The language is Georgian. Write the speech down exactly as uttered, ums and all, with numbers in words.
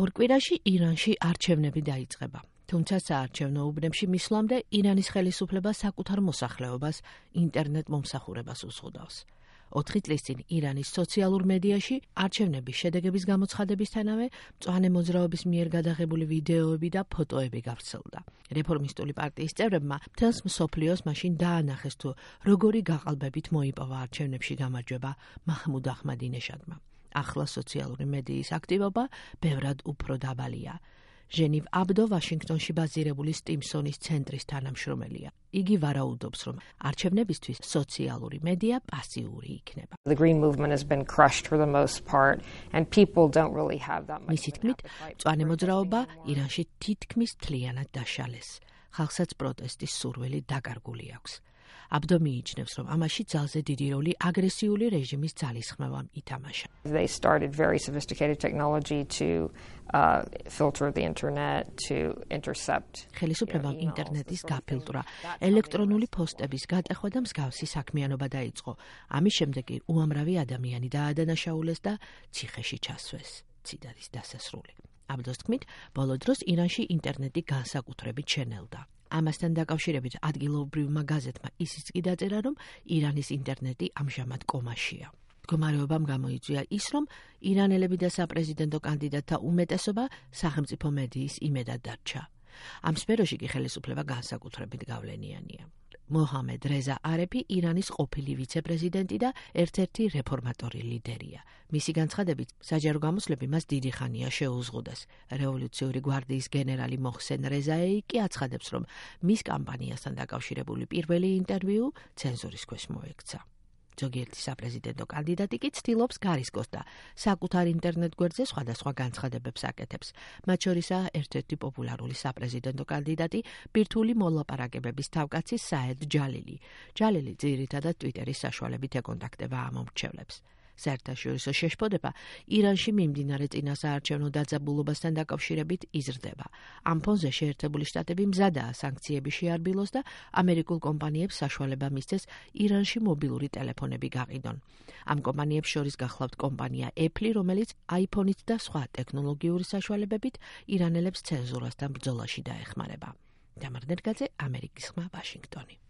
ორ კვირაში ირანში არჩევნები დაიწყება. თუმცა საარჩევნო უბნებში მისვლამდე ირანის ხელისუფლება საკუთარ მოსახლეობას ინტერნეტ მომსახურებას უზღუდავს. ოთხი წლის წინ ირანის სოციალურ მედიაში არჩევნების შედეგების გამოცხადებისთანავე მწვანე მოძრაობის მიერ გადაღებული ვიდეოები და ფოტოები გავრცელდა. რეფორმისტული პარტიის წევრებმა მთელს მსოფლიოს მაშინ დაანახეს თუ როგორი გაყალბებით მოიპოვა არჩევნებში გამარჯვება მაჰმუდ აჰმადინეჟადმა. ახლა სოციალური მედიის აქტივობა ბევრად უფრო დაბალია. ჟენივ აბდო ვაშინგტონში ბაზირებული სტიმსონის ცენტრის თანამშრომელია. იგი ვარაუდობს, რომ არჩევნებისთვის სოციალური მედია პასიური იქნება. The green movement has been crushed for the most part and people don't really have that much. მისი თქმით, მწვანე მოძრაობა ირანში თითქმის მთლიანად დაშალეს. ხალხსაც პროტესტის სურვილი დაკარგული აქვს. აბდო მიიჩნევს, რომ ამაში ძალზე დიდი როლი აგრესიული რეჟიმის ძალისხმევამ ითამაშა. They started very sophisticated technology to uh, filter the internet, to intercept. ხელისუფლებამ ინტერნეტის გაფილტრა, ელექტრონული პოსტების გატეხვა და მსგავსი საქმიანობა დაიწყო. ამის შემდეგ კი უამრავი ადამიანი დაადანაშაულეს და ციხეში ჩასვეს. ციტატის დასასრული. აბდოს თქმით, ბოლო დროს ირანში ინტერნეტი განსაკუთრებით შენელდა. ამასთან დაკავშირებით ადგილობრივმა გაზეთმა ისიც კი დაწერა, რომ ირანის ინტერნეტი ამჟამად კომაშია. მდგომარეობამ გამოიწვია ის, რომ ირანელები და საპრეზიდენტო კანდიდატთა უმეტესობა სახელმწიფო მედიის იმედად დარჩა. ამ სფეროში კი ხელისუფლება განსაკუთრებით გავლენიანია. მოჰამედ რეზა არეფი ირანის ყოფილი ვიცე-პრეზიდენტი და ერთ-ერთი რეფორმატორი ლიდერია. მისი განცხადებით, საჯარო გამოსვლები მას დიდი ხანია შეუზღუდეს. რევოლუციური გვარდიის გენერალი მოჰსენ რეზაეი კი აცხადებს, რომ მის კამპანიასთან დაკავშირებული პირველი ინტერვიუ ცენზურის ქვეშ მოექცა. ზოგიერთი საპრეზიდენტო კანდიდატი კი ცდილობს გარისკოს და საკუთარ ინტერნეტ გვერდზე სხვადასხვა განცხადებებს აკეთებს. მათ შორისაა ერთ-ერთი პოპულარული საპრეზიდენტო კანდიდატი ბირთვული მოლაპარაკებების თავკაცი საედ ჯალილი. ჯალილი ძირითადად ტვიტერის საშუალებით ეკონტაქტება ამომრჩევლებს. საერთაშორისო შეშფოთება ირანში მიმდინარე წინასაარჩევნო დაძაბულობასთან დაკავშირებით იზრდება. ამ ფონზე შეერთებული შტატები მზადაა სანქციები შეარბილოს და ამერიკულ კომპანიებს საშუალება მისცეს ირანში მობილური ტელეფონები გაყიდონ. ამ კომპანიებს შორის გახლავთ კომპანია Apple, რომელიც iPhone-ით და სხვა ტექნოლოგიური საშუალებებით ირანელებს ცენზურასთან ბრძოლაში დაეხმარება. დამარნერგაძე, ამერიკის ხმა, ვაშინგტონი.